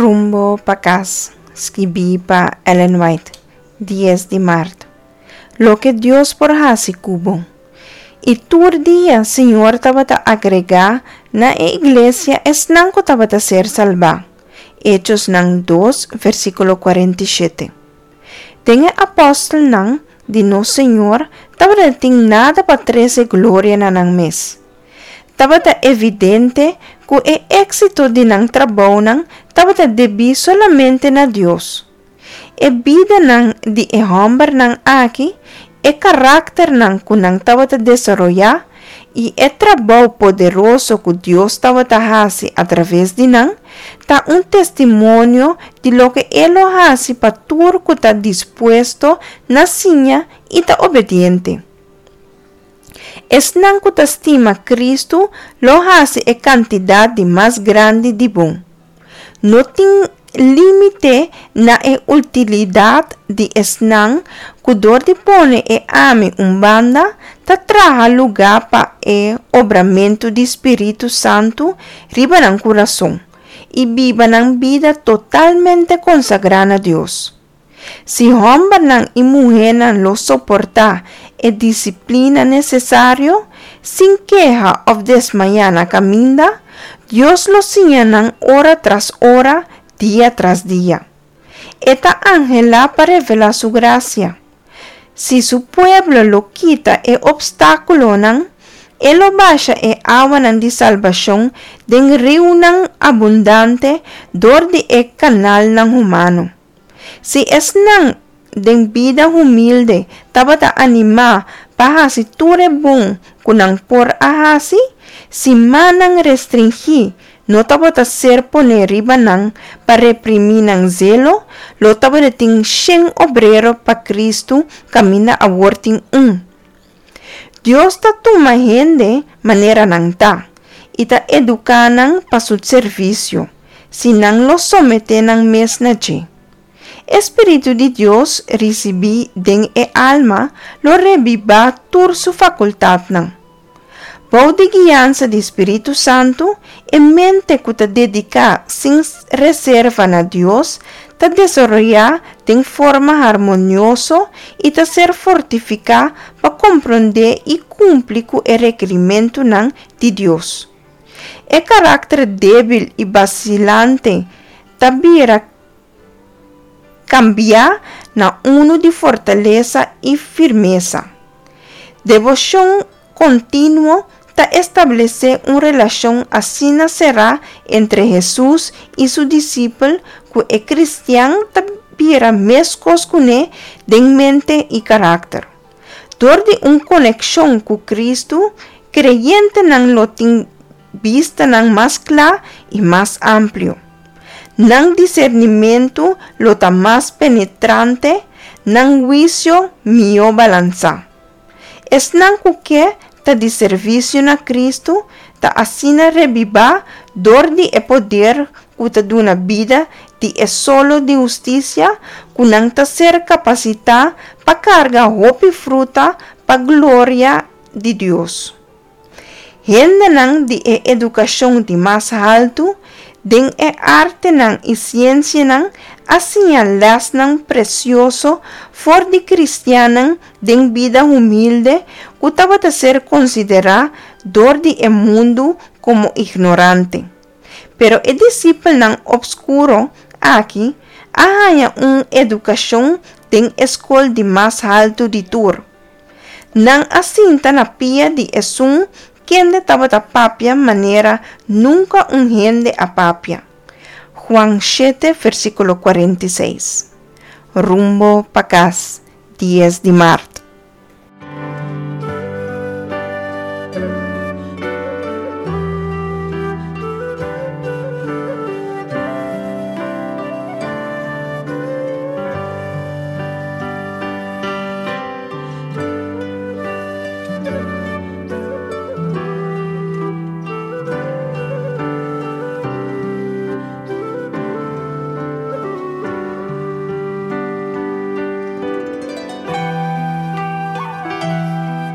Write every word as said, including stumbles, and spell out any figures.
Rumbo pa kas, skibí pa Ellen White, dies di mart. Loke Dios por hasi ku bo. I tur dia Señor tabata agregá na e iglesia esnan ku tabata ser salbá. Echonan dos, versíkulo kuarenta i shete. Den e apòstelnan di nos Señor tabatin nada pa trese gloria na nan mes. Tabata evidente ku e éksito di nan trabounan tabata debí solamente na Dios. E bidanan di e hòmbernan aki, e karakternan ku nan tabata desaroyá i e trabou poderoso ku Dios tabata hasi a traves di nan, ta un testimonio di loke E lo hasi pa tur ku ta dispuesto na siña i ta obediente. Esnan ku ta stima Kristu lo hasi e kantidat di mas grandi di bon. No tin límite na e utilidat di esnan ku dor di pone e ami un banda ta traha lugá pa e obramentu di Spiritu Santu riba nan kurason i biba nan bida totalmente konsagrá na Dios. Si hòmbernan i muhénan lo soportá e disiplina nesesario, sin keha òf desmayá na kaminda, Dios lo siña nan ora tras ora, dia tras dia. E ta anhelá pa revelá su grasia. Si su pueblo lo kita e opstákulonan, E lo basha e awanan di salbashon den riunan abundante dor di e kanalnan humano. Si esnan den bida humilde tabata animá pa hasi tur e bon ku nan por a hasi, si mannan restringí no tabata ser poné riba nan pa reprimí nan zelo, lo tabatin shen obrero pa Kristu kaminda awor tin un. Dios ta tuma hende manera nan ta i ta eduká nan pa su servisio, si nan lo someté nan mes na dje. E spiritu di Dios risibí den e alma lo rebibá tur su fakultatnan. Bou di guiansa di spiritu santu, e mente ku ta dediká sin reserva na Dios ta desaroyá den forma harmonioso i ta ser fortifiká pa komprondé i kumpli ku e rekerimentunan di Dios. E karakter débil i basilante ta bira kambia na unu di fortalesa i firmesa. Deboshon kontinuo ta establesé un relashon asina será entre Hesus i su disipel ku e kristian ta bira meskos kuné den mente i karakter. Dor di un konekshon ku Kristu, kreyentenan lo tin bistanan mas kla i mas amplio. Nan disernimentu lo ta mas penetrante, nan huisio mihó balansá. Esnan ku ke ta di servisio na Kristu ta asina rebibá dor di e poder ku ta duna bida di e solo di hustisia ku nan ta ser kapasitá pa karga hopi fruta pa gloria di Dios. Hendenan di e edukashon di mas haltu den e artenan i siensianan a siña lèsnan presioso for di kristiannan den bida humilde ku tabata ser konsiderá dor di e mundu komo ignorante. Pero e disipelnan opskuro aki a haña un edukashon den e skol di mas haltu di tur. Nan a sinta na pia di esun kende tabata papia manera nunka un hende a papia. Juan shete versíkulo kuarenta i seis. Rumbo pa kas, dies di mart.